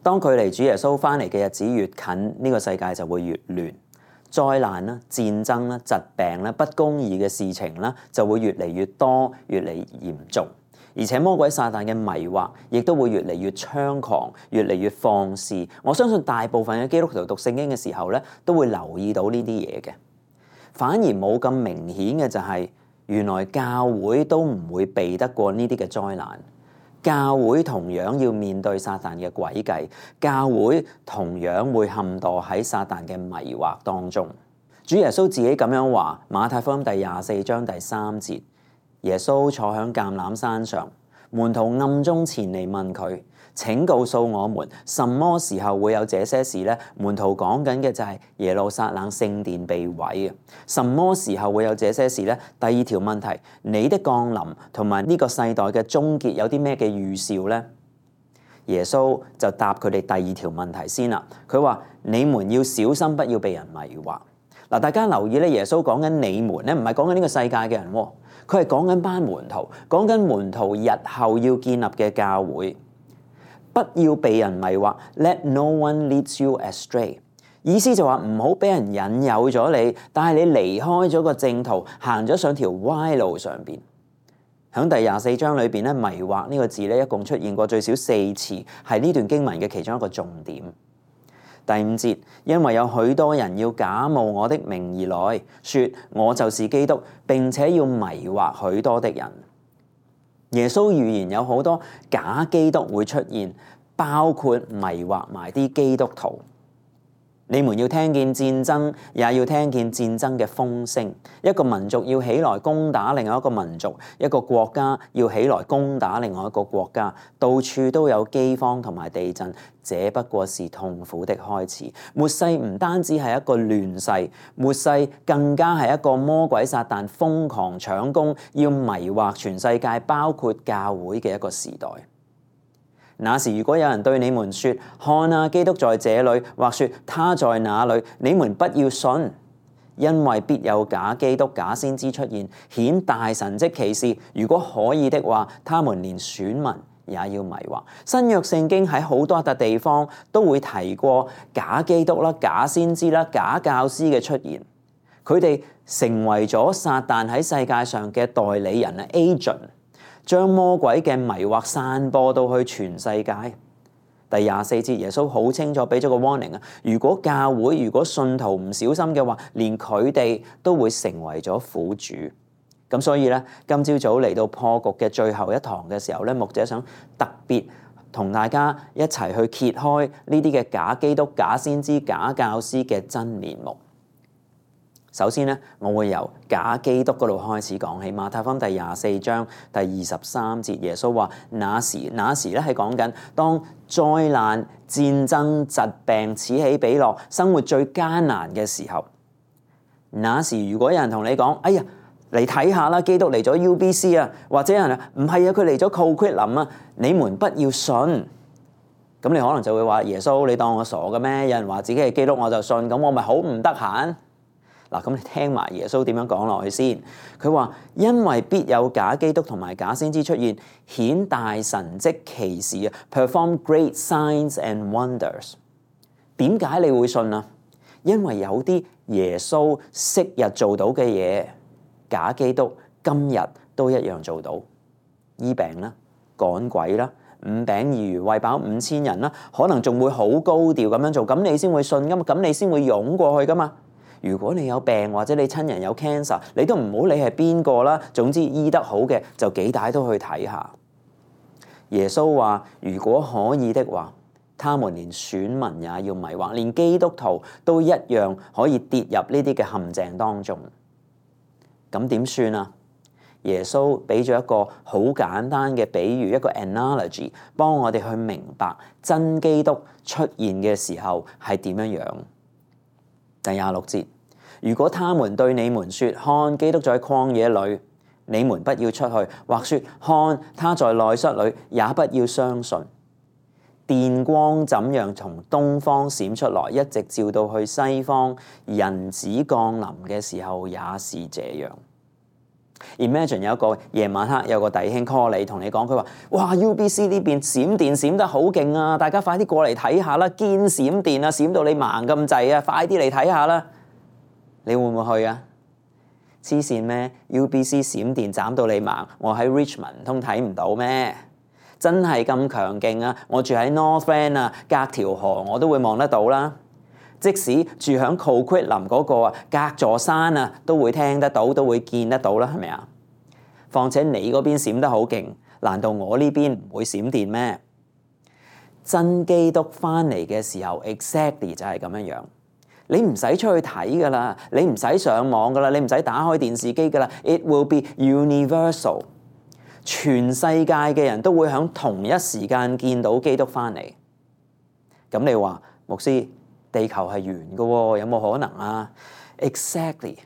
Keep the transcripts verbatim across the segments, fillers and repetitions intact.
當距離主耶穌翻嚟嘅日子越近，呢個世界就會越亂，災難啦、戰爭啦、疾病啦、不公義嘅事情啦，就會越嚟越多、越嚟越嚴重。而且魔鬼撒旦嘅迷惑，亦都會越嚟越猖狂、越嚟越放肆。我相信大部分嘅基督徒讀聖經嘅時候咧，都會留意到呢啲嘢嘅。反而冇咁明顯嘅就係，原來教會都唔會避得過呢啲嘅災難。教會同樣要面對撒旦嘅詭計，教會同樣會陷墮喺撒旦嘅迷惑當中。主耶穌自己咁樣話，馬太福音第廿四章第三節。耶穌坐喺橄欖山上，門徒暗中前嚟問佢：請告訴我們，什麼時候會有這些事呢？門徒講緊嘅就係耶路撒冷聖殿被毀啊！什麼時候會有這些事呢？第二條問題，你的降臨同埋呢個世代嘅終結有啲咩嘅預兆呢？耶穌就答佢哋第二條問題先啦。佢話：你們要小心，不要被人迷惑。嗱，大家留意咧，耶穌講緊你們咧，唔係講緊呢個世界嘅人，佢係講緊班門徒，講緊門徒日後要建立嘅教會。不要被人迷惑 ，Let no one lead you astray。意思就話唔好俾人引誘咗你，但係你離開咗個正途，行咗上條歪路上邊。喺第廿四章裏邊咧，迷惑呢個字咧，一共出現過最少四次，係呢段經文嘅其中一個重點。第五節，因為有許多人要假冒我的名而來，說我就是基督，並且要迷惑許多的人。耶穌預言有好多假基督會出現，包括迷惑埋啲基督徒。你們要聽見戰爭，也要聽見戰爭嘅風聲。一個民族要起來攻打另外一個民族，一個國家要起來攻打另外一個國家。到處都有饑荒同埋地震，這不過是痛苦的開始。末世唔單止係一個亂世，末世更加係一個魔鬼撒旦瘋狂搶攻，要迷惑全世界，包括教會嘅一個時代。那時如果有人對你們說：看啊，基督在這裏，或說他在那裏，你們不要信，因為必有假基督、假先知出現，顯大神蹟奇事。如果可以的話，他們連選民也要迷惑。新約聖經喺好多笪地方都會提過假基督啦、假先知啦、假教師嘅出現，佢哋成為咗撒旦喺世界上嘅代理人啊 agent。將魔鬼嘅迷惑散播到去全世界。第廿四節，耶穌好清楚俾咗個 warning啊！如果教會、如果信徒唔小心嘅話，連佢哋都會成為咗苦主。咁所以咧，今朝早嚟到破局嘅最後一堂嘅時候咧，牧者想特別同大家一齊去揭開呢啲嘅假基督、假先知、假教師嘅真面目。首先咧，我會由假基督嗰度開始講起。馬太福音第廿四章第二十三節，耶穌話：那時，那時咧係講緊當災難、戰爭、疾病此起彼落，生活最艱難嘅時候。那時如果有人同你講：哎呀，嚟睇下啦，基督嚟咗 U B C 啊，或者有人話唔係啊，佢嚟咗 Coquitlam 啊，你們不要信。咁你可能就會話：耶穌，你當我傻嘅咩？有人話自己係基督我就信，咁我咪好唔得閒？嗱，咁你聽埋耶穌點樣講落去先。佢話：因為必有假基督同埋假先知出現，顯大神蹟奇事啊 ，perform great signs and wonders。點解你會信啊？因為有啲耶穌昔日做到嘅嘢，假基督今日都一樣做到。醫病啦，趕鬼啦，五餅二魚餵飽五千人啦，可能仲會好高調咁樣做，咁你先會信噶嘛，咁你先會湧過去噶嘛。如果你有病或者你親人有 cancer， 你都唔好理係邊個啦，總之醫得好嘅就幾大都去睇下。耶穌話：如果可以的話，他們連選民也要迷惑，連基督徒都一樣可以跌入呢啲嘅陷阱當中。咁點算啊？耶穌俾咗一個好簡單嘅比喻，一個 analogy， 幫我哋去明白真基督出現嘅時候係點樣樣。第廿六節，如果他們對你們說：看，基督在曠野裏，你們不要出去；或說：看，他在內室裏，也不要相信。電光怎樣從東方閃出來，一直照到去西方，人子降臨嘅時候也是這樣。Imagine 有一個夜晚黑有個弟兄 call 你，同你講佢話：哇 U B C 呢邊閃電閃得好勁啊！大家快啲過嚟睇下啦，堅閃電啊，閃到你盲咁滯啊！快啲嚟睇下啦！你會唔會去啊？黐線咩 ？U B C 閃電斬到你盲，我喺 Richmond 唔通睇唔到咩？真係咁強勁啊！我住喺 North End 啊，隔條河我都會望得到啦。即使住響 Coquitlam 嗰個啊，隔座山啊，都會聽得到，都會見得到啦，係咪啊？況且你嗰邊閃得好勁，難道我呢邊唔會閃電咩？真基督翻嚟嘅時候 ，exactly 就係咁樣樣。你唔使出去睇噶啦，你唔使上網噶啦，你唔使打開電視機噶啦。It will be universal， 全世界嘅人都會響同一時間見到基督翻嚟。咁你話牧師？地球係圓嘅喎，有冇可能啊 ？Exactly，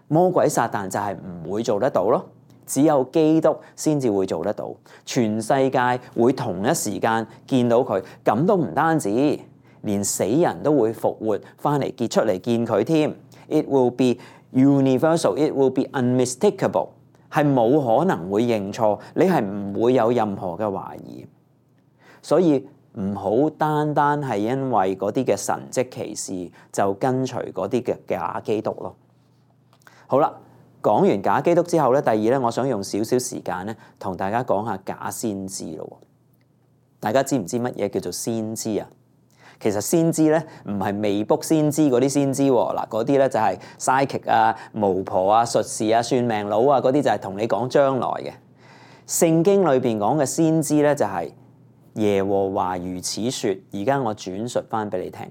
魔鬼撒旦就係唔會做得到咯，只有基督先至會做得到。全世界會同一時間見到佢，咁都唔單止，連死人都會復活翻嚟結出嚟見佢添。It will be universal, it will be unmistakable， 係冇可能會認錯，你係唔會有任何嘅懷疑，所以。唔好單單係因為嗰啲嘅神蹟奇事就跟隨嗰啲嘅假基督咯。好啦，講完假基督之後咧，第二咧，我想用少少時間咧，同大家講下假先知咯。大家知唔知乜嘢叫做先知啊？其實先知咧唔係未卜先知嗰啲先知喎，嗱嗰啲咧就係 psychic 啊、巫婆啊、術士啊、算命佬啊嗰啲就係同你講將來嘅。聖經裏邊講嘅先知咧就係、是。耶和華如此說，而家我轉述翻俾你聽，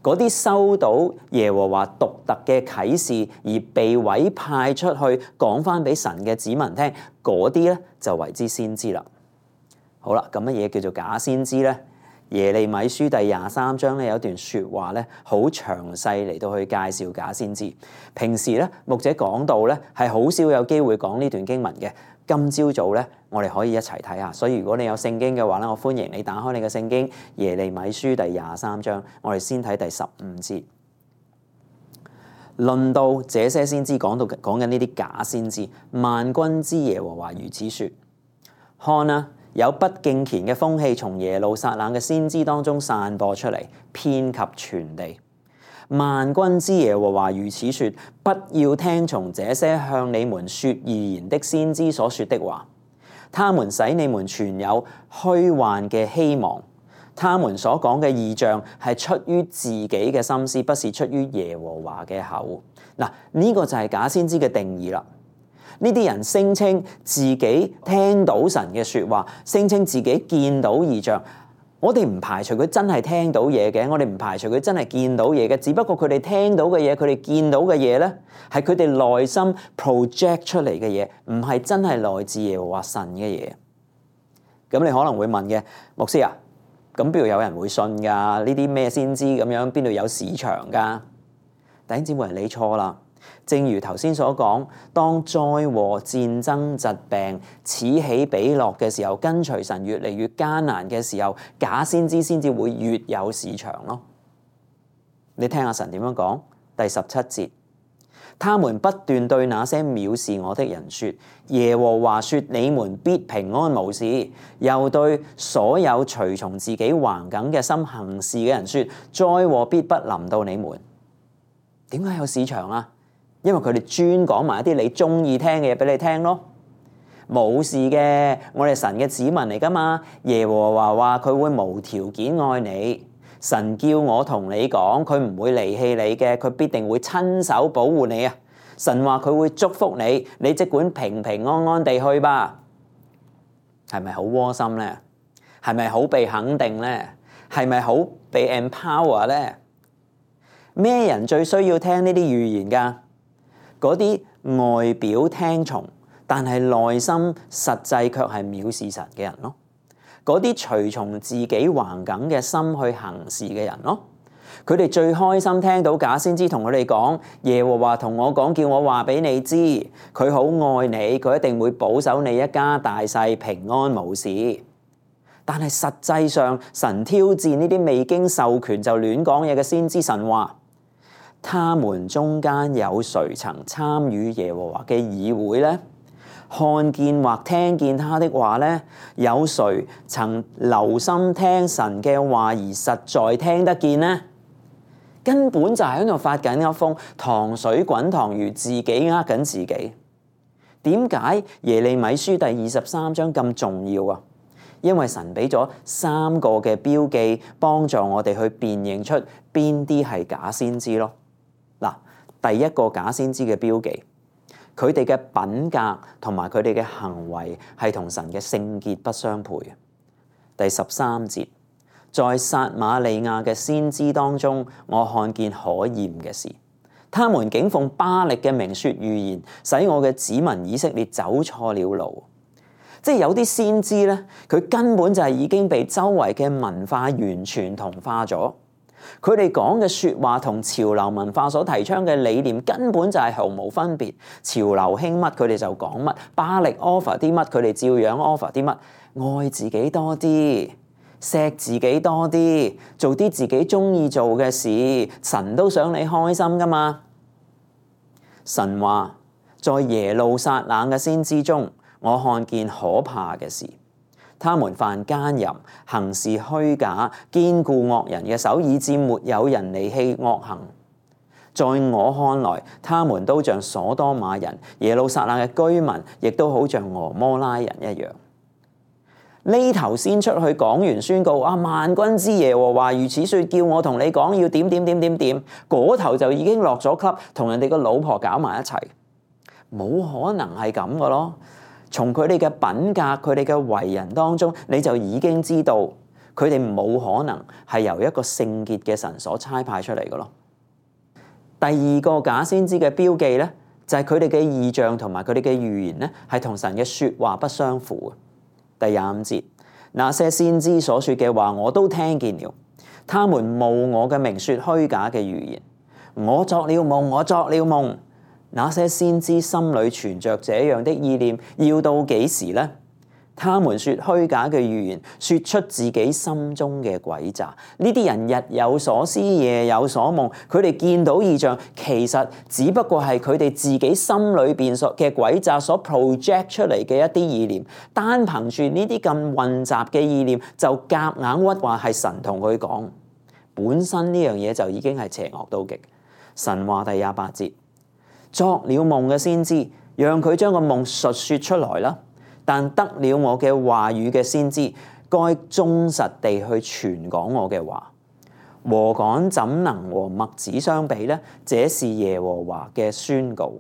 嗰啲收到耶和華獨特嘅啟示而被委派出去講翻俾神嘅子民聽，嗰啲咧就為之先知啦。好啦，咁乜嘢叫做假先知咧？耶利米書第廿三章咧有一段說話咧，好詳細嚟到去介紹假先知。平時咧牧者講道咧係好少有機會講呢段經文嘅。今朝早咧，我哋可以一齊睇下。所以如果你有聖經嘅話咧，我歡迎你打開你嘅聖經耶利米書第廿三章，我哋先睇第十五節。論到這些先知，講到講緊呢啲假先知，萬軍之耶和華如此說：看啊，有不敬虔嘅風氣從耶路撒冷嘅先知當中散播出嚟，遍及全地。萬軍之耶和華如此說：不要聽從這些向你們說預言的先知所說的話，他們使你們存有虛幻嘅希望。他們所講嘅異象係出於自己嘅心思，不是出於耶和華嘅口。嗱，呢個就係假先知嘅定義啦。呢啲人聲稱自己聽到神嘅說話，聲稱自己見到異象。我哋唔排除佢真係聽到嘢嘅，我哋唔排除佢真係見到嘢嘅，只不過佢哋聽到嘅嘢，佢哋見到嘅嘢咧，係佢哋內心 project 出嚟嘅嘢，唔係真係來自耶和華神嘅嘢。咁你可能會問嘅，牧師啊，咁邊度有人會信㗎？呢啲咩先知咁樣，邊度有市場㗎？弟兄姊妹，你錯啦。正如頭先所講，當災禍、戰爭、疾病此起彼落嘅時候，跟隨神越嚟越艱難嘅時候，假先知先至會越有市場咯。你聽下神點樣講？第十七節，他們不斷對那些藐視我的人說：耶和華說你們必平安無事。又對所有隨從自己橫梗嘅心行事嘅人說：災禍必不臨到你們。點解有市場啊？因為佢哋專講埋一啲你中意聽嘅嘢俾你聽咯，冇事嘅，我哋神嘅子民嚟噶嘛。耶和華話佢會無條件愛你，神叫我同你講，佢唔會離棄你嘅，佢必定會親手保護你啊。神話佢會祝福你，你即管平平安安地去吧。係咪好窩心咧？係咪好被肯定咧？係咪好被 empower 咧？咩人最需要聽呢啲預言噶？嗰啲外表聽從，但係內心實際卻係藐視神嘅人咯。嗰啲隨從自己橫梗嘅心去行事嘅人咯。佢哋最開心聽到假先知同佢哋講，耶和華同我講，叫我話俾你知，佢好愛你，佢一定會保守你一家大細平安無事。但係實際上，神挑戰呢啲未經授權就亂講嘢嘅先知。神話，他們中間有誰曾參與耶和華嘅議會呢？看見或聽見他的話呢？有誰曾留心聽神嘅話而實在聽得見呢？根本就係喺度發緊一瘋，糖水滾糖魚，自己呃緊自己。點解耶利米書第二十三章咁重要啊？因為神俾咗三個嘅標記，幫助我哋去辨認出邊啲係假先知咯。嗱，第一個假先知嘅標記，佢哋嘅品格同埋佢哋嘅行為係同神嘅聖潔不相配。第十三節，在撒瑪利亞嘅先知當中，我看見可厭嘅事，他們竟奉巴力嘅名說預言，使我嘅子民以色列走錯了路。即係有啲先知咧，佢根本就係已經被周圍嘅文化完全同化咗。佢哋講嘅說話同潮流文化所提倡嘅理念根本就係毫無分別。潮流興乜佢哋就講乜，巴力 offer 啲乜佢哋照樣 offer 啲乜。愛自己多啲，錫自己多啲，做啲自己中意做嘅事，神都想你開心噶嘛。神話在耶路撒冷嘅先知中，我看見可怕嘅事，他們犯奸淫，行事虛假，堅固惡人嘅手，以致沒有人離棄惡行。在我看來，他們都像所多瑪人，耶路撒冷嘅居民亦都好像俄摩拉人一樣。呢頭先出去講完宣告啊，萬軍之耶和華如此說，叫我同你講要點點點點點，嗰頭就已經落咗級，同人哋個老婆搞埋一齊，冇可能係咁嘅咯。從佢哋嘅品格、佢哋嘅為人當中，你就已經知道佢哋冇可能係由一個聖潔嘅神所差派出嚟嘅咯。第二個假先知嘅標記咧，就係佢哋嘅異象同埋佢哋嘅預言咧，係同神嘅說話不相符。第廿五節，那些先知所說嘅話，我都聽見了，他們冒我嘅名說虛假嘅預言。我作了夢，我作了夢。那些先知心裏存着這樣的意念，要到幾時呢？他們說虛假嘅預言，說出自己心中嘅詭詐。呢啲人日有所思，夜有所夢，佢哋見到異象，其實只不過係佢哋自己心裏邊所嘅詭詐所 project 出嚟嘅一啲意念。單憑住呢啲咁混雜嘅意念，就夾硬屈話係神同佢講，本身呢樣嘢就已經係邪惡到極。神話第廿八節。作了夢嘅先知，讓佢將個夢述說出來啦。但得了我嘅話語嘅先知，該忠實地去傳講我嘅話。禾稈怎能和麥子相比呢？這是耶和華嘅宣告。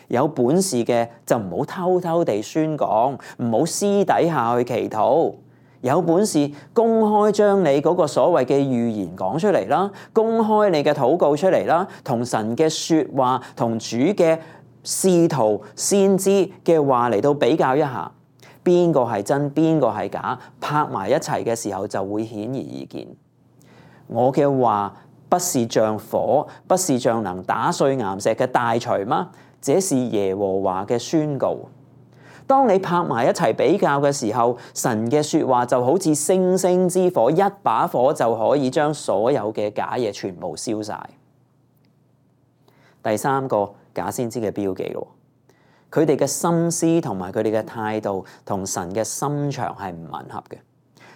有本事嘅就唔好偷偷地宣講，唔好私底下去祈禱。有本事公開將你嗰個所謂嘅預言講出嚟啦，公開你嘅禱告出嚟啦，同神嘅說話同主嘅使徒先知嘅話嚟到比較一下，邊個係真邊個係假，拍埋一齊嘅時候就會顯而易見。我嘅話不是像火，不是像能打碎岩石嘅大錘嗎？這是耶和華嘅宣告。當你拍埋一齊比較嘅時候，神嘅說話就好似星星之火，一把火就可以將所有嘅假嘢全部燒晒。第三個假先知嘅標記咯，佢哋嘅心思同埋佢哋嘅態度同神嘅心腸係唔吻合嘅。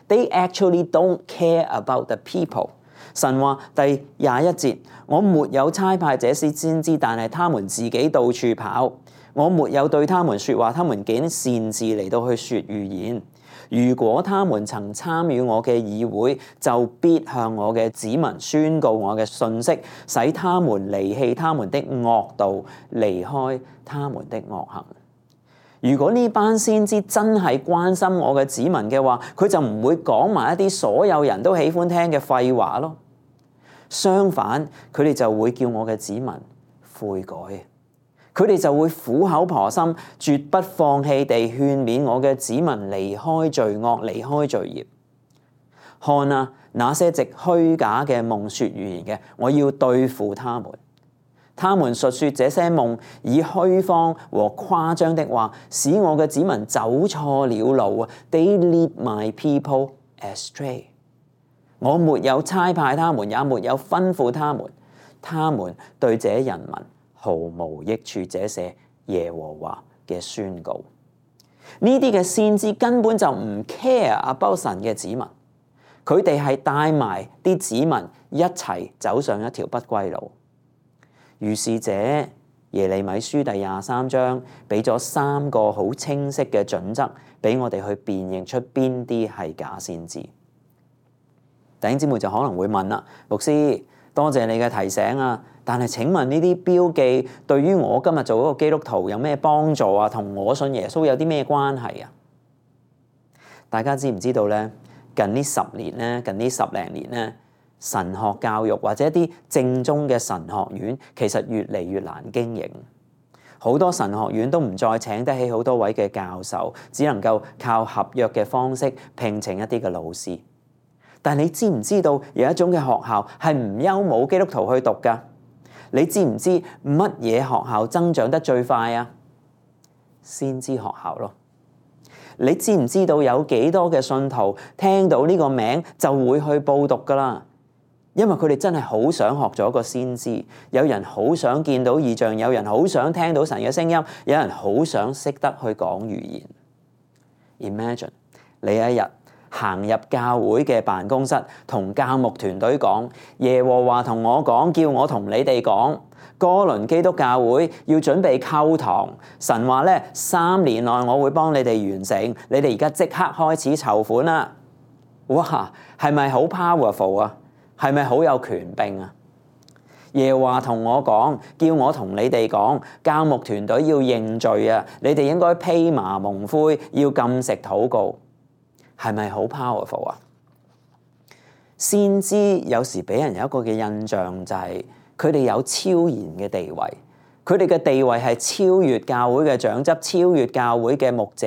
They actually don't care about the people。神話第廿一節，我沒有差派這些先知，但係他們自己到處跑。我沒有對他們說話，他們竟擅自嚟到去說預言。如果他們曾參與我嘅議會，就必向我嘅子民宣告我嘅信息，使他們離棄他們的惡道，離開他們的惡行。如果呢班先知真係關心我嘅子民嘅話，佢就唔會講埋一啲所有人都喜歡聽嘅廢話咯。相反，佢哋就會叫我嘅子民悔改。佢哋就會苦口婆心、絕不放棄地勸勉我嘅子民離開罪惡、離開罪孽。看啊，那些藉虛假嘅夢說預言嘅，我要對付他們。他們述說這些夢，以虛謊和誇張的話，使我嘅子民走錯了路啊！ They lead my people astray。我沒有差派他們，也沒有吩咐他們。他們對這人民毫無益處。這是耶和華嘅宣告。呢啲嘅先知根本就唔 care about 神嘅子民，佢哋係帶埋啲子民一齊走上一條不歸路。於是者耶利米書第廿三章俾咗三個好清晰嘅準則俾我哋去辨認出邊啲係假先知。弟兄姊妹就可能會問啦，牧師，多謝你嘅提醒啊！但係請問呢啲標記對於我今日做嗰個基督徒有咩幫助啊？同我信耶穌有啲咩關係啊？大家知唔知道咧？近呢十年咧，近呢十零年咧，神學教育或者一啲正宗嘅神學院，其實越嚟越難經營。好多神學院都唔再請得起好多位嘅教授，只能夠靠合約嘅方式聘請一啲嘅老師。但你知唔知道有一種嘅學校係唔憂冇基督徒去讀㗎？你知唔知乜嘢學校增長得最快啊？先知學校咯。你知唔知道有幾多嘅信徒聽到呢個名就會去報讀㗎啦？因為佢哋真係好想學咗個先知，有人好想見到異象，有人好想聽到神嘅聲音，有人好想識得去講預言。Imagine 你一日行入教會嘅辦公室，同教牧團隊講，耶和華同我講，叫我同你哋講，哥倫基督教會要準備購堂，神話咧三年內我會幫你哋完成，你哋而家即刻開始籌款啦！哇，係咪好 powerful 啊？係咪好有權柄啊？耶和華同我講，叫我同你哋講，教牧團隊要認罪啊！你哋應該披麻蒙灰，要禁食禱告。係咪好 powerful 啊？先知有時俾人有一個嘅印象就係佢哋有超然嘅地位，佢哋嘅地位係超越教會嘅長執，超越教會嘅牧者，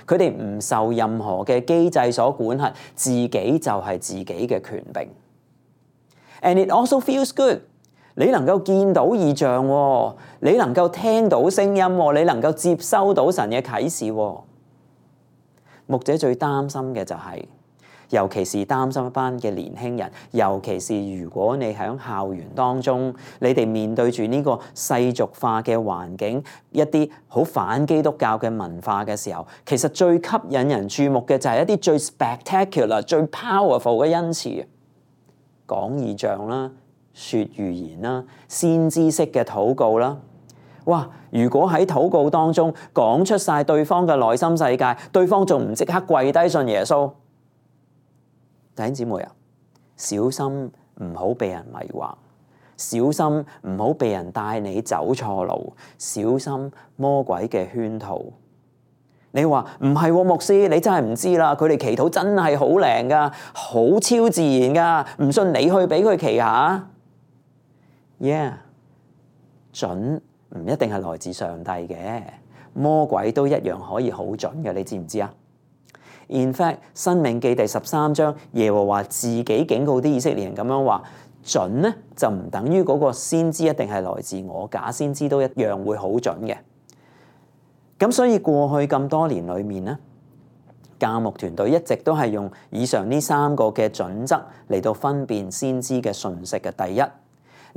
佢哋唔受任何嘅機制所管轄，自己就係自己嘅權柄。And it also feels good。你能夠見到異象，你能夠聽到聲音，你能夠接收到神嘅啟示。牧者最擔心嘅就係，尤其是擔心一班嘅年輕人，尤其是如果你喺校園當中，你哋面對住呢個世俗化嘅環境，一啲好反基督教嘅文化嘅時候，其實最吸引人注目嘅就係一啲最 spectacular、最 powerful 嘅恩賜，講異象啦、說預言啦、先知式嘅禱告啦。哇！如果喺禱告當中講出晒對方嘅內心世界，對方仲唔即刻跪低信耶穌？弟兄姊妹啊，小心唔好被人迷惑，小心唔好被人帶你走錯路，小心魔鬼嘅圈套。你話唔係喎，牧師，你真係唔知啦，佢哋祈禱真係好靈噶，好超自然噶，唔信你去俾佢祈下。Yeah， 準。唔一定係來自上帝嘅，魔鬼都一樣可以好準嘅，你知唔知啊 ？In fact， 申命記第十三章，耶和華自己警告啲以色列人咁樣話：準咧就唔等於嗰個先知一定係來自我，假先知都一樣會好準嘅。咁所以過去咁多年裏面咧，教牧團隊一直都係用以上呢三個嘅準則嚟到分辨先知嘅訊息嘅。第一，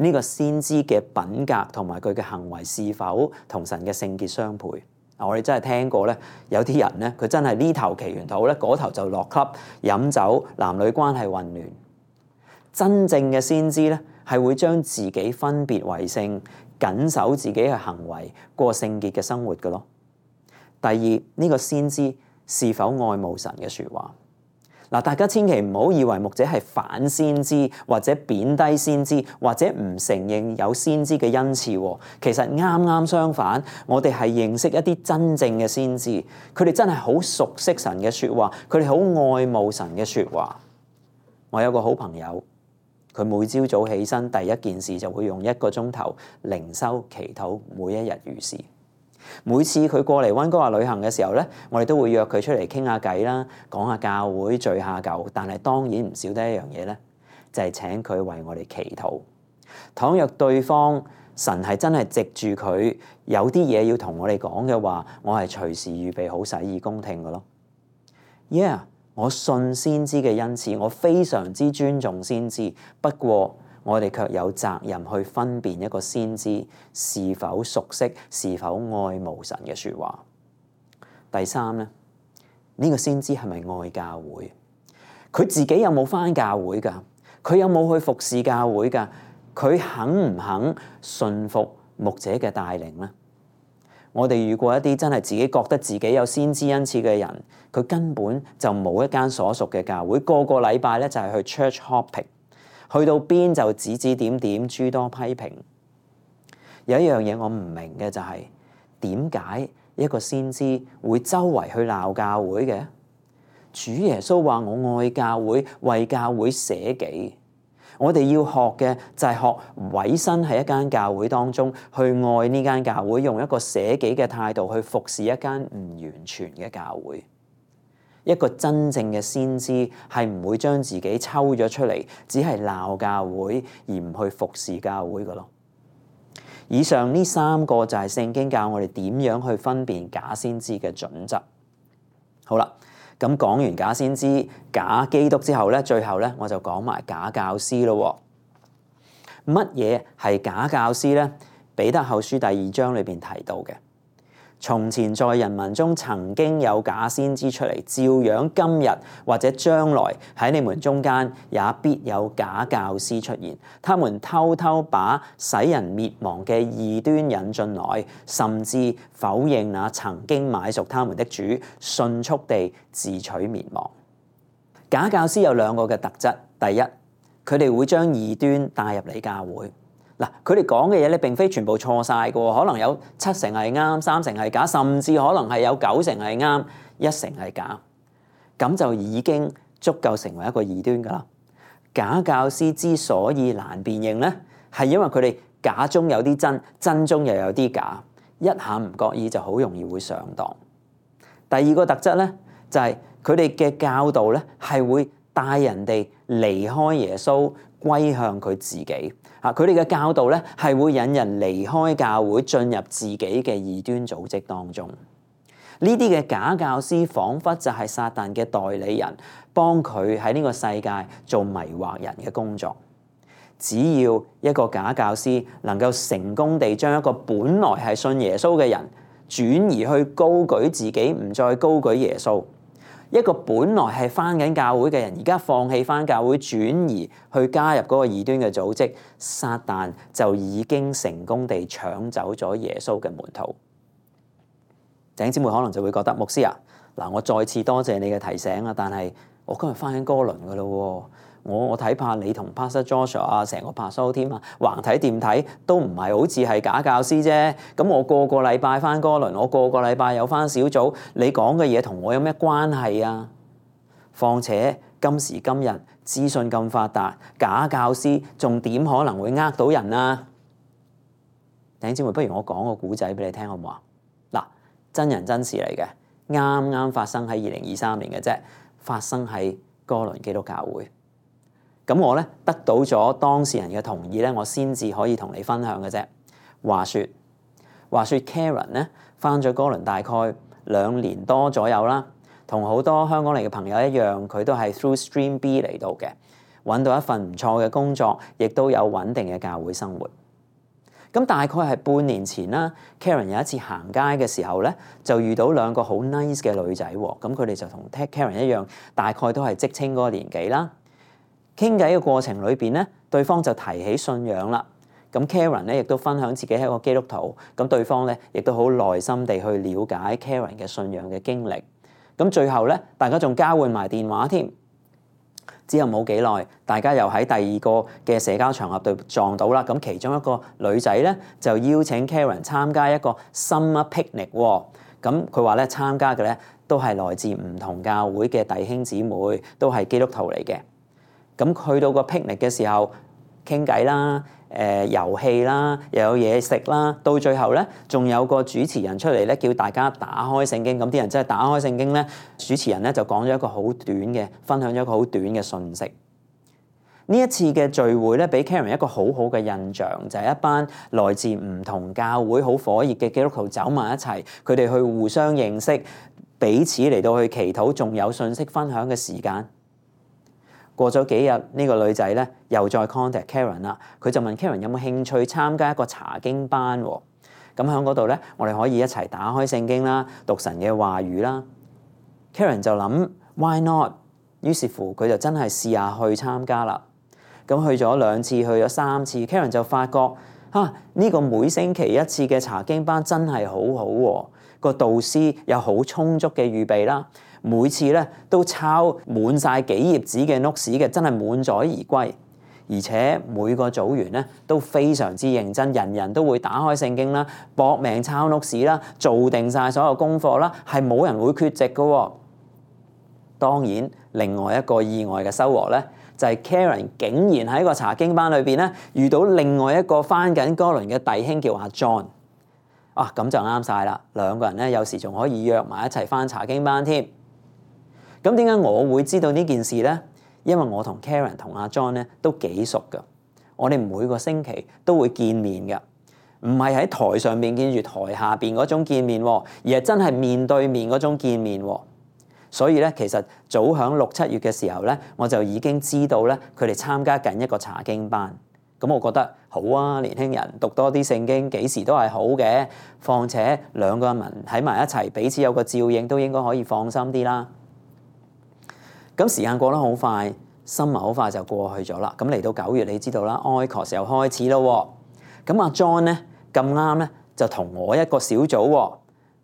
呢個先知嘅品格同埋佢嘅行為是否同神嘅聖潔相配？我哋真係聽過咧，有啲人咧，佢真係呢頭祈完禱咧，嗰頭就落 club 飲酒，男女關係混亂。真正嘅先知咧，係會將自己分別為聖，謹守自己嘅行為，過聖潔嘅生活嘅咯。第二，呢個先知是否愛慕神嘅説話？嗱，大家千祈唔好以為牧者係反先知，或者貶低先知，或者唔承認有先知嘅恩賜。其實啱啱相反，我哋係認識一啲真正嘅先知，佢哋真係好熟悉神嘅説話，佢哋好愛慕神嘅説話。我有個好朋友，佢每朝早起身第一件事就會用一個鐘頭靈修祈禱，每一日如是。每次佢過嚟溫哥華旅行嘅時候咧，我哋都會約佢出嚟傾下偈啦，講下教會，聚下舊。但係當然唔少得一樣嘢咧，就係請佢為我哋祈禱。倘若對方神係真係藉住佢有啲嘢要同我哋講嘅話，我係隨時預備好洗耳恭聽嘅咯。Yeah， 我信先知嘅恩賜，我非常之尊重先知。不過我哋卻有責任去分辨一個先知是否熟悉、是否愛慕神嘅説話。第三咧，呢個先知係咪愛教會？佢自己有冇返教會㗎？佢有冇去服侍教會㗎？佢肯唔肯順服牧者嘅帶領咧？我哋遇過一啲真係自己覺得自己有先知恩賜嘅人，佢根本就冇一間所屬嘅教會，個個禮拜咧就係去 church hopping， 去到邊就指指點點，諸多批評。有一樣嘢我唔明嘅就係點解一個先知會周圍去鬧教會嘅？主耶穌話：我愛教會，為教會捨己。我哋要學嘅就係學委身喺一間教會當中，去愛呢間教會，用一個捨己嘅態度去服侍一間唔完全嘅教會。一個真正嘅先知係唔會將自己抽咗出嚟，只係鬧教會而唔去服侍教會㗎咯。以上呢三個就係聖經教我哋點樣去分辨假先知嘅準則。好啦。咁講完假先知、假基督之後咧，最後咧我就講埋假教師咯。乜嘢係假教師咧？彼得後書第二章裏邊提到嘅，從前在人民中曾經有假先知出嚟，照樣今日或者將來喺你們中間也必有假教師出現。他們偷偷把使人滅亡嘅異端引進來，甚至否認那曾經買贖他們的主，迅速地自取滅亡。假教師有兩個嘅特質，第一，佢哋會將異端帶入嚟教會。嗱，佢哋講嘅嘢咧並非全部錯晒嘅，可能有七成係啱，三成係假，甚至可能係有九成係啱，一成係假，咁就已經足夠成為一個異端噶啦。假教師之所以難辨認咧，係因為佢哋假中有啲真，真中又有啲假，一下唔覺意就好容易會上當。第二個特質咧，就係佢哋嘅教導咧係會帶人哋離開耶穌，歸向佢自己。啊！佢哋嘅教導咧係會引人離開教會，進入自己嘅異端組織當中。呢啲嘅假教師彷彿就係撒旦嘅代理人，幫佢喺呢個世界做迷惑人嘅工作。只要一個假教師能夠成功地將一個本來係信耶穌嘅人轉移去高舉自己，唔再高舉耶穌。一個本來係返緊教會嘅人，而家放棄返教會，轉移去加入嗰個異端嘅組織，撒旦就已經成功地搶走咗耶穌嘅門徒。弟兄姊妹可能就會覺得，牧師啊，嗱，我再次多謝你嘅提醒啊，但係我今日返緊哥倫㗎喇喎。我我睇怕你同 Pastor Joshua 啊，成個 Pastoral team 啊，橫睇掂睇都唔係好似係假教師啫。咁我個個禮拜翻哥倫，我個個禮拜有翻小組，你講嘅嘢同我有咩關係啊？況且今時今日資訊咁發達，假教師仲點可能會呃到人啊？弟兄姊妹，不如我講個故仔俾你聽好唔好啊？嗱，真人真事嚟嘅，啱啱發生喺二零二三年嘅啫，發生喺哥倫基督教會。咁我咧得到咗當事人嘅同意咧，我先至可以同你分享嘅啫。話說話說 Karen 咧返咗哥倫大概兩年多左右啦，同好多香港嚟嘅朋友一樣，佢都係 through Stream B 嚟到嘅，揾到一份唔錯嘅工作，亦都有穩定嘅教會生活。咁大概係半年前啦 ，Karen 有一次行街嘅時候咧，就遇到兩個好 nice 嘅女仔喎。咁佢哋就同 Karen 一樣，大概都係職青嗰個年紀啦。傾偈嘅過程裏邊咧，對方就提起信仰啦。咁 Karen 咧亦都分享自己係一個基督徒，咁對方咧亦都好耐心地去了解 Karen 嘅信仰嘅經歷。咁最後咧，大家仲交換埋電話添。之後冇幾耐，大家又喺第二個嘅社交場合度撞到啦。咁其中一個女仔咧就邀請 Karen 參加一個 summer picnic。咁佢話咧參加嘅咧都係來自唔同教會嘅弟兄姊妹，都係基督徒嚟嘅。咁去到個 picnic 嘅時候，傾偈啦，誒、呃、遊戲啦，又有嘢食啦，到最後咧，仲有個主持人出嚟咧，叫大家打開聖經。咁啲人真係打開聖經咧，主持人咧就講咗一個好短嘅，分享咗一個好短嘅信息。呢一次嘅聚會咧，俾 Karen 一個好好嘅印象，就係、是、一班來自唔同教會好火熱嘅基督徒走埋一齊，佢哋去互相認識，彼此嚟到去祈禱，仲有信息分享嘅時間。過咗幾日，呢、這個女仔咧又再 contact Karen 啦，佢就問 Karen 有冇興趣參加一個查經班喎。咁喺嗰度咧，我哋可以一齊打開聖經啦，讀神嘅話語啦。Karen 就諗 Why not？ 於是乎佢就真係試下去參加啦。咁去咗兩次，去咗三次 Karen 就發覺嚇呢、啊這個每星期一次嘅查經班真係好好、啊、喎，個導師有好充足嘅預備啦。每次咧都抄滿晒幾頁紙嘅 notes 嘅，真係滿載而歸。而且每個組員咧都非常之認真，人人都會打開聖經啦，搏命抄 notes 啦，做定晒所有功課啦，係冇人會缺席嘅喎。當然，另外一個意外嘅收穫咧，就係 Karen 竟然喺個查經班裏邊咧遇到另外一個返緊哥倫嘅弟兄叫阿 John。啊，咁就啱晒啦！兩個人咧有時仲可以約埋一齊返查經班添。咁點解我會知道呢件事呢？因為我同 Karen 同阿 John 咧都幾熟㗎，我哋每個星期都會見面㗎，唔係喺台上面見住台下邊嗰種見面，而係真係面對面嗰種見面。所以咧，其實早響六七月嘅時候咧，我就已經知道咧佢哋參加緊一個查經班。咁我覺得好啊，年輕人讀多啲聖經幾時都係好嘅，況且兩個人喺埋一齊，彼此有個照應，都應該可以放心啲啦。咁時間過得好快，新聞好快就過去咗啦。咁嚟到九月，你知道啦，Oikos又開始咯。咁阿 John 咧咁啱咧就同我一個小組喎，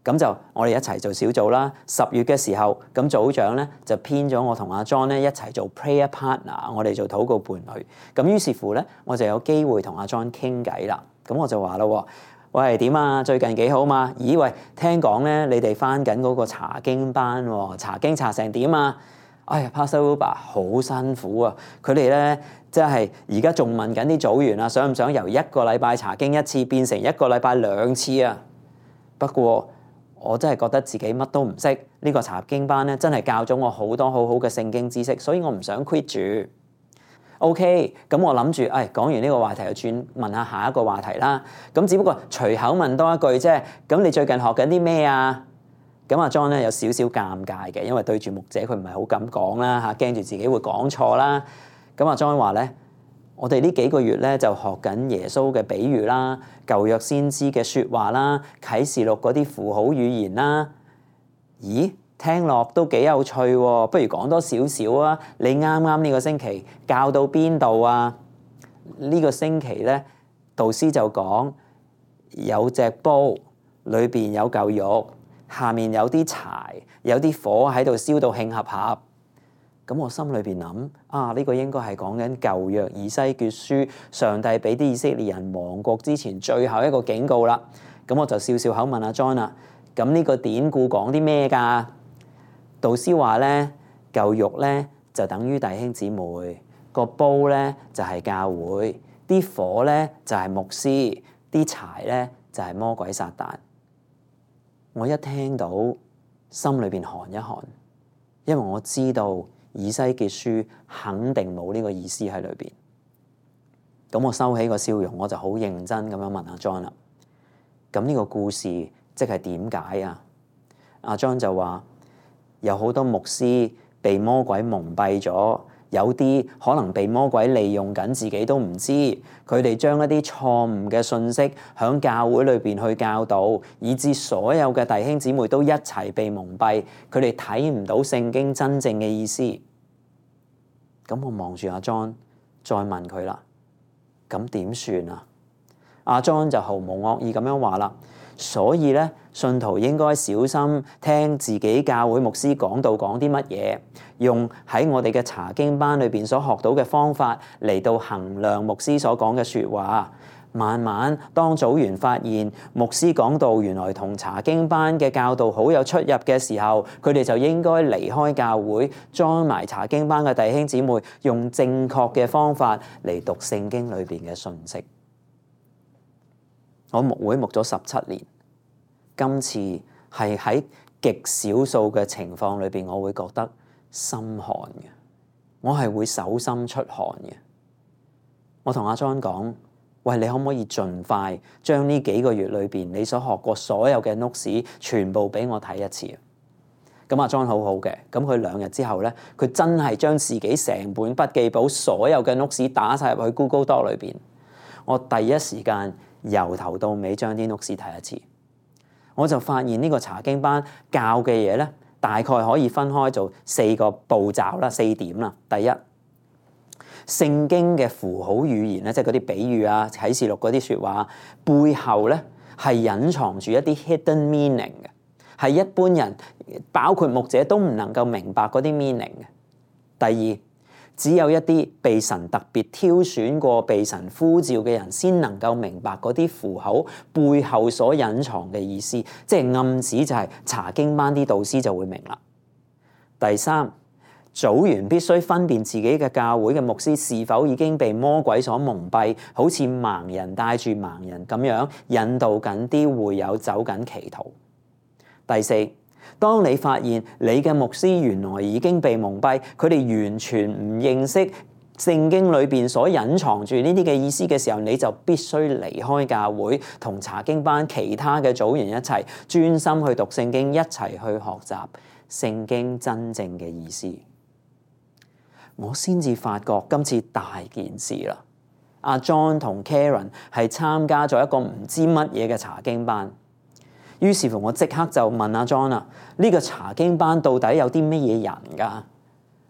咁就我哋一齊做小組啦。十月嘅時候，咁組長咧就編咗我同阿 John 咧一齊做 prayer partner， 我哋做禱告伴侶。咁於是乎咧，我就有機會同阿 John 傾偈啦。咁我就話咯，喂，點啊？最近幾好嘛？咦喂，聽講咧你哋返緊嗰個查經班喎，查經查成點啊？哎呀 Pastor Uber 好辛苦啊！佢哋咧即係而家仲問緊啲組員啊，想唔想由一個禮拜查經一次變成一個禮拜兩次啊？不過我真係覺得自己乜都唔識，呢個查經班咧真係教咗我好多好好嘅聖經知識，所以我唔想 quit 住。OK，咁我諗住，誒講完呢個話題就轉問下下一個話題啦。咁只不過隨口問多一句啫。咁你最近學緊啲咩啊？咁阿 John 咧有少少尷尬嘅，因為對住牧者佢唔係好敢講啦嚇，驚住自己會講錯啦。咁阿 John 話咧，我哋呢幾個月咧就學緊耶穌嘅比喻啦、舊約先知嘅説話啦、啟示錄嗰啲符號語言啦。咦，聽落都幾有趣喎！不如講多少少啊？你啱啱呢個星期教到邊度啊？呢個星期咧，導師就講有隻煲，裏邊有嚿肉。下面有啲柴，有啲火喺度燒到興合合。咁我心裏邊諗啊，呢個應該係講緊舊約以西結書，上帝俾啲以色列人亡國之前最後一個警告啦。咁我就笑笑口問阿 John 啦，咁呢個典故講啲咩㗎？導師話咧，嚿肉咧就等於弟兄姊妹，個煲咧就係教會，啲火咧就係牧師，啲柴咧就係魔鬼撒旦。我一聽到，心裏邊寒一寒，因為我知道以西結書肯定冇呢個意思喺裏邊。咁我收起個笑容，我就好認真咁樣問阿 John 啦。咁呢個故事即係點解啊？阿 John 就話有好多牧師被魔鬼蒙蔽咗。有啲可能被魔鬼利用緊，自己都唔知。佢哋將一啲錯誤嘅信息響教會裏邊去教導，以致所有嘅弟兄姊妹都一齊被蒙蔽。佢哋睇唔到聖經真正嘅意思。咁我望住阿 John，再問佢啦。咁點算啊？阿 John 就毫無惡意咁樣話啦。所以咧，信徒應該小心聽自己教會牧師講道講啲乜嘢，用喺我哋嘅查經班裏邊所學到嘅方法嚟到衡量牧師所講嘅説話。慢慢當組員發現牧師講道原來同查經班嘅教導好有出入嘅時候，佢哋就應該離開教會，join埋查經班嘅弟兄姊妹，用正確嘅方法嚟讀聖經裏邊嘅信息。我牧會牧咗十七年，今次係喺極少數嘅情況裏邊，我會覺得心寒嘅，我係會手心出汗嘅。我同阿 John 講，喂，你可唔可以盡快將呢幾個月裏邊你所學過所有嘅 notes 全部俾我睇一次？咁阿 John 好好嘅，咁佢兩日之後咧，佢真係將自己成本筆記簿所有嘅 notes 打晒入去 Google Doc 裏邊。我第一時間由頭到尾將啲 notes 睇一次，我就發現呢個查經班教嘅嘢咧，大概可以分開做四個步驟啦，四點啦。第一，聖經嘅符號語言咧，即係嗰啲比喻啊、啟示錄嗰啲説話背後咧，係隱藏住一啲 hidden meaning 嘅，係一般人包括牧者都唔能夠明白嗰啲 meaning 嘅。第二，只有一啲被神特別挑選過、被神呼召嘅人，先能夠明白嗰啲符號背後所隱藏嘅意思，即係暗指就係查經班啲導師就會明啦。第三，組員必須分辨自己嘅教會嘅牧師是否已經被魔鬼所蒙蔽，好似盲人帶住盲人咁樣引導緊啲會友走緊歧途。第四，當你發現你嘅牧師原來已經被蒙蔽，佢哋完全唔認識聖經裏邊所隱藏住呢啲嘅意思嘅時候，你就必須離開教會，同查經班其他嘅組員一齊專心去讀聖經，一齊去學習聖經真正嘅意思。我先至發覺今次大件事啦！阿 John 同 Karen 係參加咗一個唔知乜嘢嘅查經班。於是乎，我即刻就問阿 John 啦：呢個查經班到底有啲乜嘢人㗎？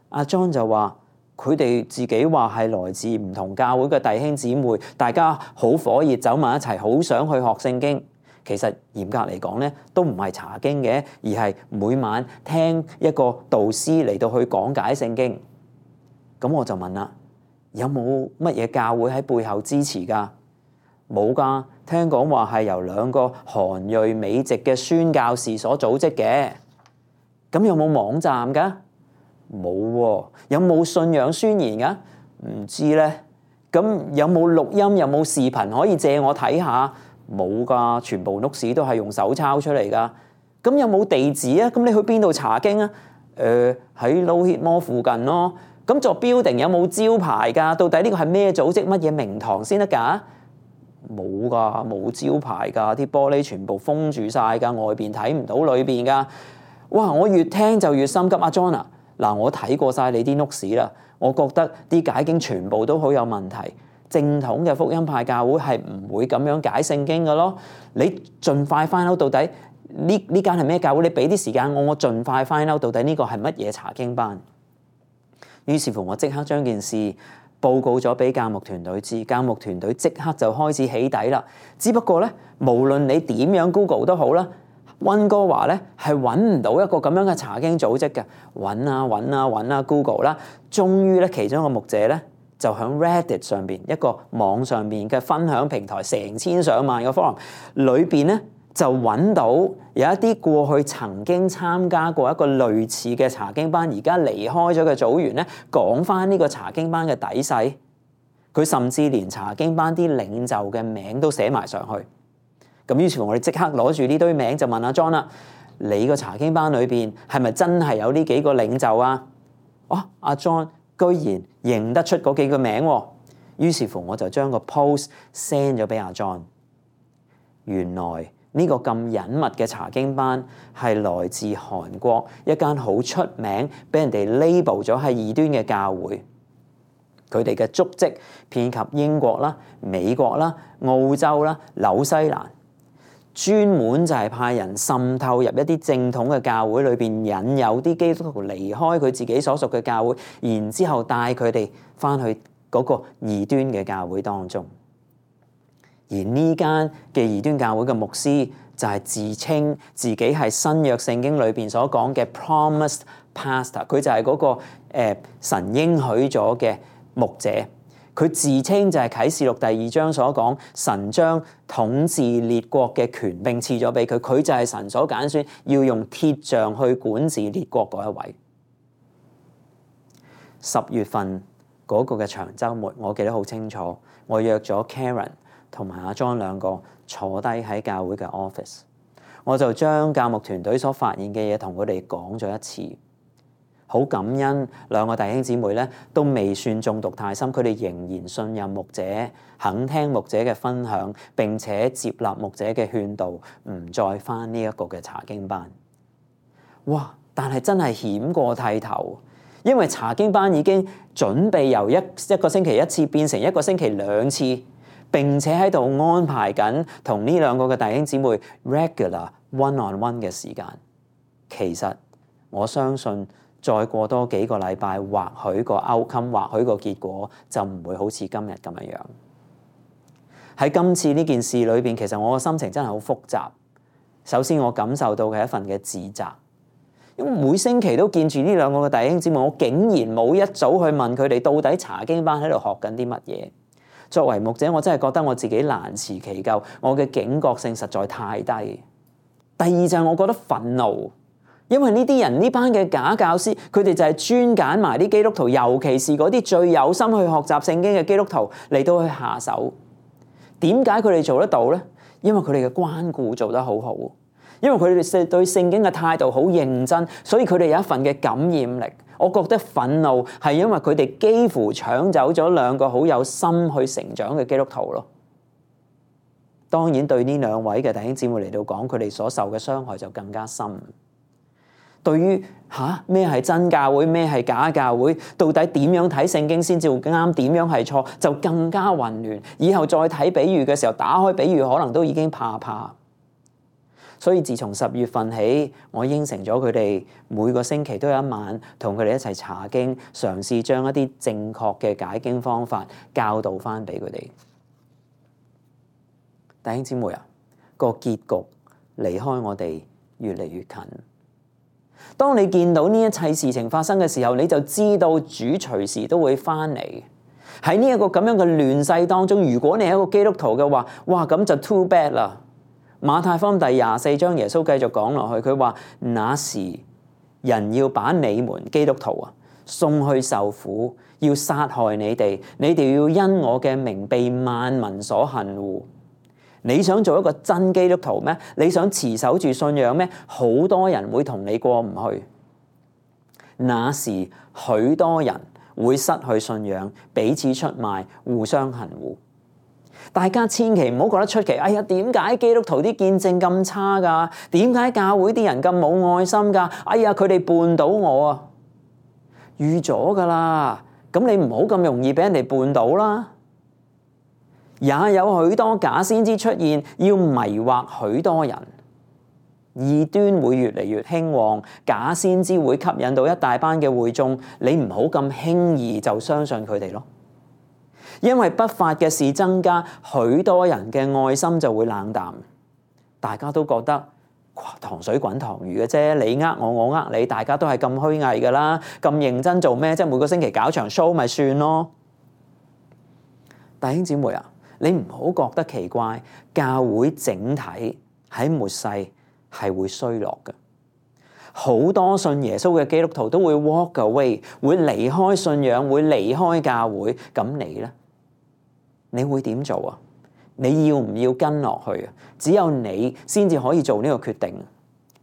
阿 John 就話：佢哋自己話係來自唔同教會嘅弟兄姊妹，大家好火熱，走埋一齊，好想去學聖經。其實嚴格嚟講咧，都唔係查經嘅，而係每晚聽一個導師嚟到去講解聖經。咁我就問啦：有冇乜嘢教會喺背後支持㗎？冇㗎，聽講話係由兩個韓裔美籍嘅宣教士所組織嘅。咁有冇網站㗎？冇喎。有冇信仰宣言㗎？唔知咧。咁有冇錄音？有冇視頻可以借我睇下？冇㗎，全部 notes 都係用手抄出嚟㗎。咁有冇地址啊？咁你去邊度查經啊？誒喺 Lohitmore 附近咯。咁座 building 有冇招牌㗎？到底呢個係咩組織？乜嘢名堂先得㗎？冇㗎，冇招牌㗎，啲玻璃全部封住晒㗎，外邊睇唔到裏邊㗎。哇！我越聽就越心急。阿 John 啊，嗱，我睇過晒你啲 notes 啦，我覺得啲解經全部都好有問題。正統嘅福音派教會係唔會咁樣解聖經㗎咯。你盡快 find out到底呢呢間係咩教會？你俾啲時間我，我盡快 find out到底呢個係乜嘢查經班。於是乎，我即刻將件事報告咗俾教牧團隊知，教牧團隊即刻就開始起底啦。只不過咧，無論你點樣 Google 都好啦，溫哥華咧係揾唔到一個咁樣嘅查經組織嘅，揾啊揾啊揾啊 Google 啦，終於咧其中一個牧者咧就喺 Reddit 上邊一個網上邊嘅分享平台，成千上萬個 forum 裏邊咧，就揾到有一啲過去曾經參加過一個類似嘅查經班，而家離開咗嘅組員咧，講翻呢個查經班嘅底細。佢甚至連查經班啲領袖嘅名都寫埋上去。咁於是乎，我哋即刻攞住呢堆名就問阿 John 啦：你個查經班裏邊係咪真係有呢幾個領袖啊？哦，阿 John 居然認得出嗰幾個名喎。於是乎，我就將個 post send 咗俾阿 John。原來呢個咁隱密嘅查經班係來自韓國一間好出名、俾人哋 label 咗係異端嘅教會。佢哋嘅足跡遍及英國啦、美國啦、澳洲啦、紐西蘭，專門就係派人滲透入一啲正統嘅教會裏邊，引誘啲基督徒離開佢自己所屬嘅教會，然之後帶佢哋翻去嗰個異端嘅教會當中。而呢間嘅異端教會嘅牧師就係自稱自己係新約聖經裏邊所講嘅 promised pastor，佢就係嗰、那個、呃、神應許咗嘅牧者。佢自稱就係啟示錄第二章所講，神將統治列國嘅權柄賜咗俾佢，佢就係神所揀選要用鐵杖去管治列國嗰一位。十月份嗰個嘅長週末，我記得好清楚，我約咗 Karen 同埋阿 John 兩個坐低喺教會嘅 office， 我就將教牧團隊所發現嘅嘢同佢哋講咗一次。好感恩兩個弟兄姊妹咧，都未算中毒太深，佢哋仍然信任牧者，肯聽牧者嘅分享，並且接納牧者嘅勸導，唔再返呢一個嘅查經班。哇！但係真係險過剃頭，因為查經班已經準備由一一個星期一次變成一個星期兩次，並且喺度安排緊同呢兩個嘅弟兄姊妹 regular one on one 嘅時間。其實我相信再過多幾個禮拜，或許個 outcome， 或許個結果就唔會好似今日咁樣樣。喺今次呢件事裏邊，其實我嘅心情真係好複雜。首先我感受到嘅一份嘅自責，因為每星期都見住呢兩個嘅弟兄姊妹，我竟然冇一早去問佢哋到底查經班喺度學緊啲乜嘢。作為牧者，我真係覺得我自己難辭其咎，我嘅警覺性實在太低。第二就係我覺得憤怒，因為呢啲人呢班嘅假教師，佢哋就係專揀埋啲基督徒，尤其是嗰啲最有心去學習聖經嘅基督徒嚟到去下手。點解佢哋做得到呢？因為佢哋嘅關顧做得好好，因為佢哋對聖經嘅態度好認真，所以佢哋有一份嘅感染力。我覺得憤怒係因為佢哋幾乎搶走咗兩個好有心去成長嘅基督徒咯。當然對呢兩位嘅弟兄姊妹嚟到講，佢哋所受嘅傷害就更加深。對於吓咩係真教會，咩係假教會，到底點樣睇聖經先至會啱，點樣係錯，就更加混亂。以後再睇比喻嘅時候，打開比喻可能都已經怕怕。所以自從十月份起，我應承咗佢哋每個星期都有一晚同佢哋一齊查經，嘗試將一啲正確嘅解經方法教導翻俾佢哋。弟兄姊妹啊，個結局離開我哋越嚟越近。當你見到呢一切事情發生嘅時候，你就知道主隨時都會翻嚟。喺呢一個咁樣嘅亂世當中，如果你係一個基督徒嘅話，哇，咁就 too bad 啦。馬太福音第廿四章，耶穌繼續講落去，佢話：那時人要把你們基督徒啊送去受苦，要殺害你哋，你哋要因我嘅名被萬民所恨惡。你想做一個真基督徒咩？你想持守住信仰咩？好多人會同你過唔去。那時許多人會失去信仰，彼此出賣，互相恨惡。大家千祈唔好覺得出奇。哎呀，點解基督徒啲見證咁差㗎？點解教會啲人咁冇愛心㗎？哎呀，佢哋絆倒我啊！預咗㗎啦，咁你唔好咁容易俾人哋絆倒啦。也有許多假先知出現，要迷惑許多人。異端會越嚟越興旺，假先知會吸引到一大班嘅會眾。你唔好咁輕易就相信佢哋咯。因為不法嘅事增加，許多人嘅愛心就會冷淡。大家都覺得糖水滾糖魚嘅啫，你呃我，我呃你，大家都係咁虛偽㗎啦，咁認真做咩？即係每個星期搞場 show 咪算咯。弟兄姊妹啊，你唔好覺得奇怪，教會整體喺末世係會衰落嘅。好多信耶穌嘅基督徒都會 walk away， 會離開信仰，會離開教會。咁你呢？你會點做啊？你要唔要跟落去啊？只有你先至可以做呢個決定。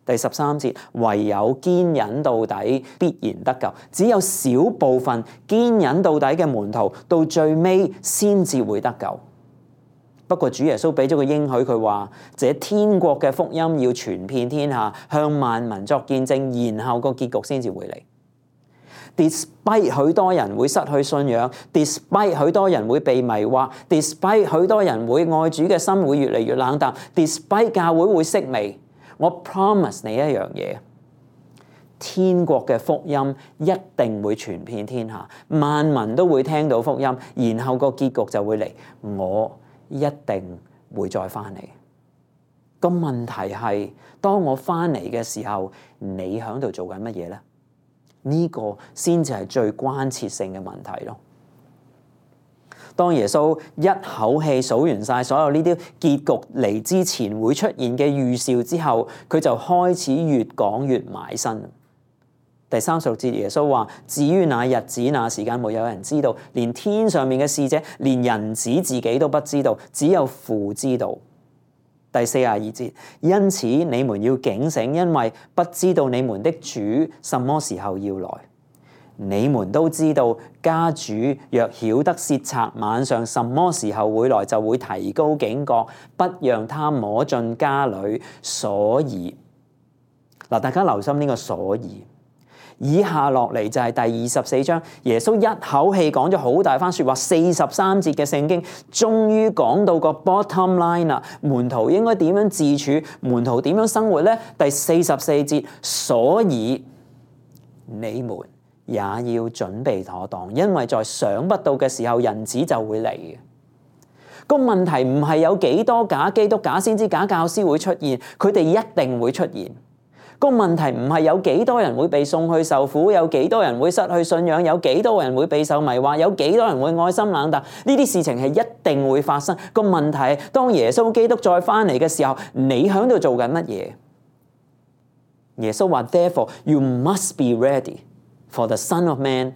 第十三節，唯有堅忍到底，必然得救。只有少部分堅忍到底嘅門徒，到最尾先至會得救。不過主耶穌俾咗個應許，佢話：這天國嘅福音要傳遍天下，向萬民作見證，然後個結局先至會嚟。Despite 許多人會失去信仰 ，despite 許多人會被迷惑 ，despite 許多人會愛主嘅心會越嚟越冷淡 ，despite 教會會式微，我 promise 你一樣嘢，天國嘅福音一定會傳遍天下，萬民都會聽到福音，然後個結局就會嚟，我一定會再翻嚟。個問題係，當我翻嚟嘅時候，你喺度做緊乜嘢呢？呢個先至係最關切性嘅問題咯。當耶穌一口氣數完晒所有呢啲結局嚟之前會出現嘅預兆之後，佢就開始越講越埋身。第三十六節，耶穌話：至於那日子那時間，沒有人知道，連天上面嘅使者，連人子自己都不知道，只有父知道。第四十二節，因此你們要警醒，因為不知道你們的主什麼時候要來。你們都知道，家主若曉得竊賊晚上什麼時候會來，就會提高警覺，不讓他摸進家裏。所以嗱，大家留心呢個所以。以下落嚟就係第二十四章，耶穌一口氣講咗好大番説話，四十三節嘅聖經，終於講到個 bottom line 啦。門徒應該點樣自處？門徒點樣生活呢？第四十四節，所以你們也要準備妥當，因為在想不到嘅時候，人子就會嚟嘅。個問題唔係有幾多假基督、假先知、假教師會出現，佢哋一定會出現。個問題唔係有幾多人會被送去受苦，有幾多人會失去信仰，有幾多人會備受迷惑，有幾多人會愛心冷淡，呢啲事情係一定會發生。個問題係當耶穌基督再翻嚟嘅時候，你喺度做緊乜嘢？耶穌話 Therefore you must be ready, for the Son of Man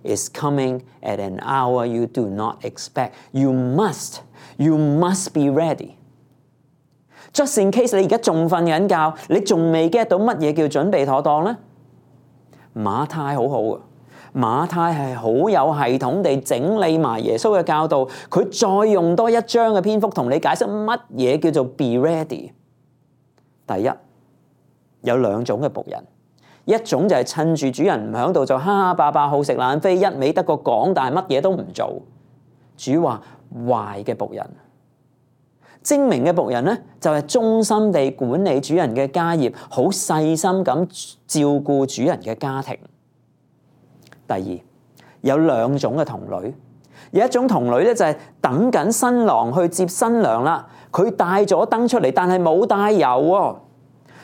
is coming at an hour you do not expect. You must, you must be ready.Just in case 你而家仲瞓緊覺，你仲未 get 到乜嘢叫準備妥當呢？馬太好好啊，馬太係好有系統地整理埋耶穌嘅教導，佢再用多一章嘅篇幅同你解釋乜嘢叫做 be ready。第一，有兩種嘅僕人，一種就係趁住主人唔喺度就哈哈霸霸好食懶飛，一味得個講，但係乜嘢都唔做。主話壞嘅僕人。精明嘅僕人咧，就係忠心地管理主人嘅家業，好細心咁照顧主人嘅家庭。第二，有兩種嘅童女，有一種童女咧就係等緊新郎去接新娘啦，佢帶咗燈出嚟，但係冇帶油喎。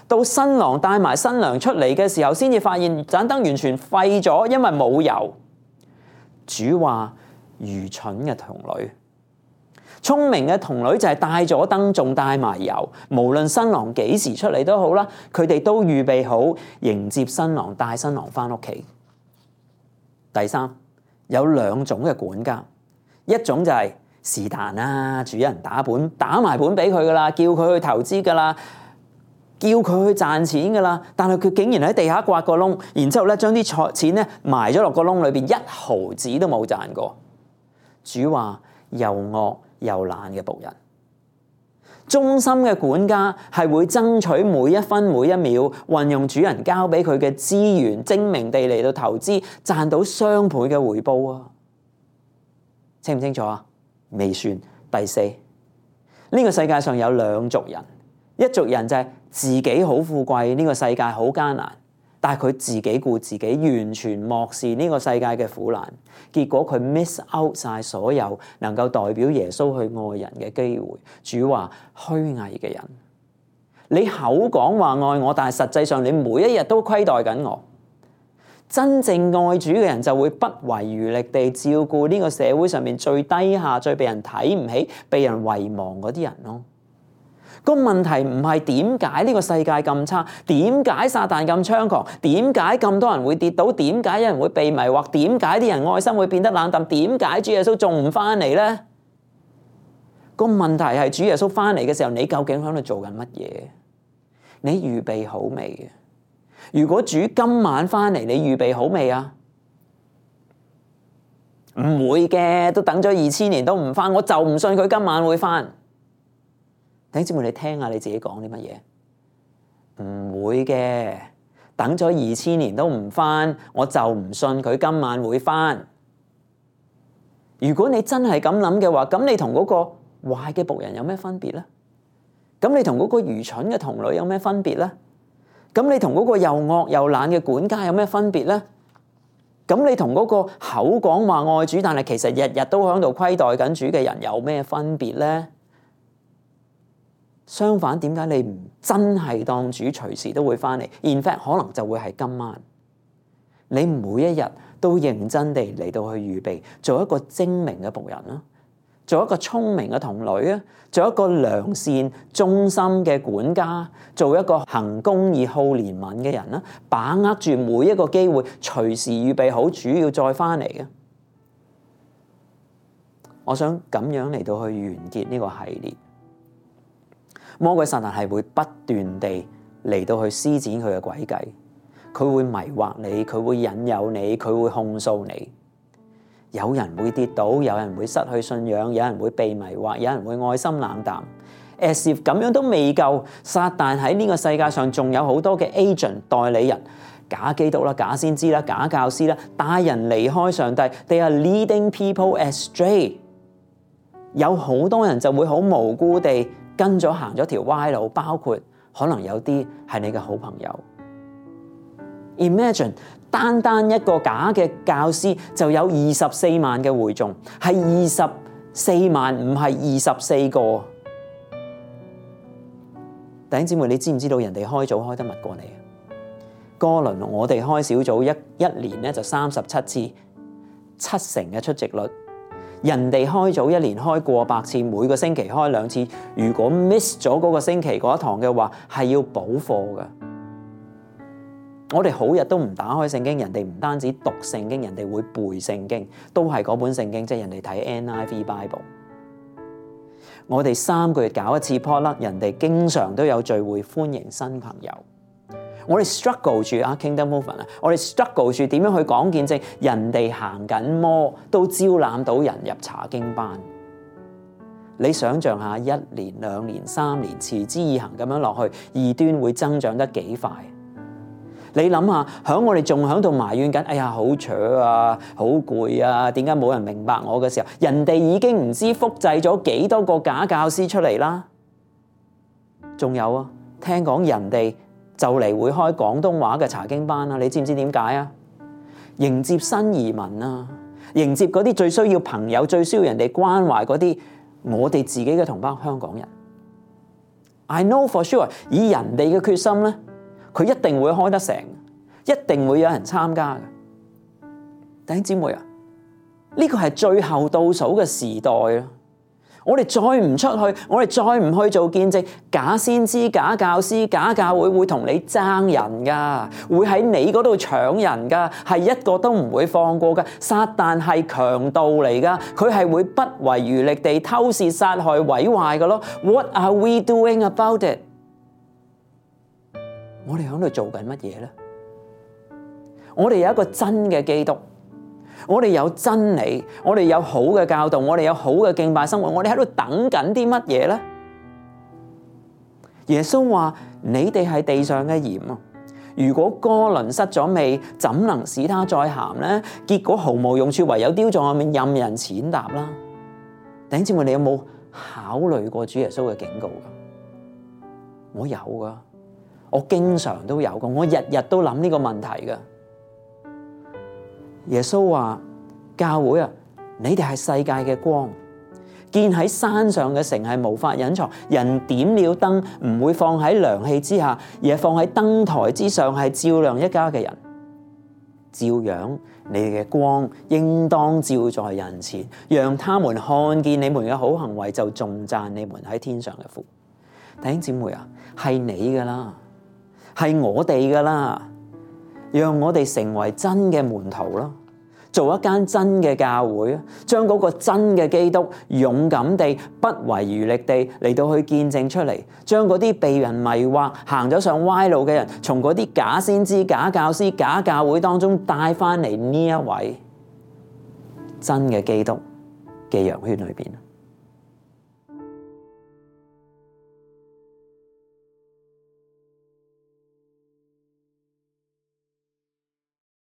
到新郎帶埋新娘出嚟嘅時候，先至發現盞燈完全廢咗，因為冇油。主話愚蠢嘅童女。聰明嘅童女就係帶咗燈，仲帶埋油，無論新郎幾時出嚟都好啦，佢哋都預備好迎接新郎，帶新郎翻屋企。第三，有兩種嘅管家，一種就係是但啦，主人打本打埋本俾佢噶啦，叫佢去投資噶啦，叫佢去賺錢噶啦，但係佢竟然喺地下刮個窿，然之後咧將啲錢咧埋咗落個窿裏邊，一毫子都冇賺過。主話又惡又懶嘅僕人。忠心嘅管家係會爭取每一分每一秒，運用主人交俾佢嘅資源，精明地嚟到投資，賺到雙倍嘅回報啊！清唔清楚啊？未算。第四，呢個世界上有兩族人，一族人就係自己好富貴，呢個世界好艱難，但係佢自己顧自己，完全漠視呢個世界嘅苦難，結果佢 miss out 晒所有能夠代表耶穌去愛人嘅機會。主話虛偽嘅人，你口講話愛我，但係實際上你每一日都虧待緊我。真正愛主嘅人就會不遺餘力地照顧呢個社會上面最低下、最被人睇唔起、被人遺忘嗰啲人咯。個問題唔係點解呢個世界咁差，點解撒旦咁猖狂，點解咁多人會跌倒，點解有人會被迷惑，點解啲人愛心會變得冷淡，點解主耶穌仲唔翻嚟呢？個問題係主耶穌翻嚟嘅時候，你究竟喺度做緊乜嘢？你預備好未？如果主今晚翻嚟，你預備好未啊？唔會嘅，都等咗二千年都唔翻，我就唔信佢今晚會翻。弟兄姊妹，你聽下你自己講啲乜嘢？唔會嘅，等咗二千年都唔翻，我就唔信佢今晚會翻。如果你真係咁諗嘅話，咁你同嗰個壞嘅僕人有咩分別呢？咁你同嗰個愚蠢嘅童女有咩分別呢？咁你同嗰個又惡又懶嘅管家有咩分別呢？咁你同嗰個口講話愛主，但係其實日日都喺度虧待緊主嘅人有咩分別呢？相反，點解你唔真係當主隨時都會翻嚟 ？In fact， 可能就會係今晚。你每一日都認真地嚟到去預備，做一個精明嘅僕人啦，做一個聰明嘅童女啊，做一個良善忠心嘅管家，做一個行公義好憐憫嘅人啦，把握住每一個機會，隨時預備好主要再翻嚟嘅。我想咁樣嚟到去完結呢個系列。魔鬼撒旦係會不斷地嚟到去施展佢嘅詭計，佢會迷惑你，佢會引誘你，佢會控訴你。有人會跌倒，有人會失去信仰，有人會被迷惑，有人會愛心冷淡。as if 咁樣都未夠，撒旦喺呢個世界上仲有好多嘅 agent 代理人，假基督啦、假先知啦、假教師啦，帶人離開上帝。They are leading people astray。有好多人就會好無辜地跟咗行咗條歪路，包括可能有啲係你嘅好朋友。Imagine 單單一個假嘅教師就有二十四萬嘅會眾，係二十四萬，唔係二十四個。弟兄姊妹，你知唔知道人哋開組開得密過你？哥倫我哋開小組一一年咧就三十七次，七成嘅出席率。人哋開組一年開過百次，每個星期開兩次。如果 miss 咗嗰個星期嗰一堂嘅話，係要補課㗎。我哋好日都唔打開聖經，人哋唔單止讀聖經，人哋會背聖經，都係嗰本聖經，即係人哋睇 N I V Bible。我哋三個月搞一次 potluck，人哋經常都有聚會，歡迎新朋友。我哋 struggle 住啊 Kingdom Movement 啊，我哋 struggle 住點樣去講見證，人哋行緊魔都招攬到人入查經班。你想象下，一年、兩年、三年，持之以恆咁樣落去，異端會增長得幾快？你諗下，響我哋仲響度埋怨緊，哎呀好扯啊，好攰啊，點解冇人明白我嘅時候，人哋已經唔知複製咗幾多個假教師出嚟啦。仲有啊，聽講人哋就嚟會開廣東話嘅查經班啊，你知唔知點解啊？迎接新移民啊，迎接嗰啲最需要朋友、最需要人哋關懷嗰啲我哋自己嘅同胞香港人。I know for sure， 以人哋嘅決心咧，佢一定會開得成，一定會有人參加嘅。弟兄姊妹啊，呢個係最後倒數嘅時代啊！我哋再唔出去，我哋再唔去做見證，假先知、假教師、假教會會同你爭人噶，會喺你嗰度搶人噶，係一個都唔會放過噶。撒旦係強盜嚟噶，佢係會不遺餘力地偷竊、殺害、毀壞噶咯。What are we doing about it？ 我哋喺度做緊乜嘢咧？我哋有一個真嘅基督。我哋有真理，我哋有好嘅教導，我哋有好嘅敬拜生活，我哋喺度等緊啲乜嘢咧？耶穌話：你哋係地上嘅鹽啊！如果哥倫失咗味，怎能使他再鹹咧？結果毫無用處，唯有丟在外面任人踐踏啦！弟兄姊妹，你有冇考慮過主耶穌嘅警告噶？我有噶，我經常都有噶，我日日都諗呢個問題噶。耶穌話：教會啊，你哋係世界嘅光，建喺山上嘅城係無法隱藏。人點了燈，唔會放喺涼氣之下，而係放喺燈台之上，係照亮一家嘅人。照樣，你哋嘅光應當照在人前，讓他們看見你們嘅好行為，就頌讚你們喺天上嘅父。弟兄姊妹啊，係你噶啦，係我哋噶啦。讓我哋成為真嘅門徒咯，做一間真嘅教會，將嗰個真嘅基督勇敢地、不遺餘力地嚟到去見證出嚟，將嗰啲被人迷惑、行咗上歪路嘅人，從嗰啲假先知、假教師、假教會當中帶翻嚟呢一位真嘅基督嘅羊圈裏邊。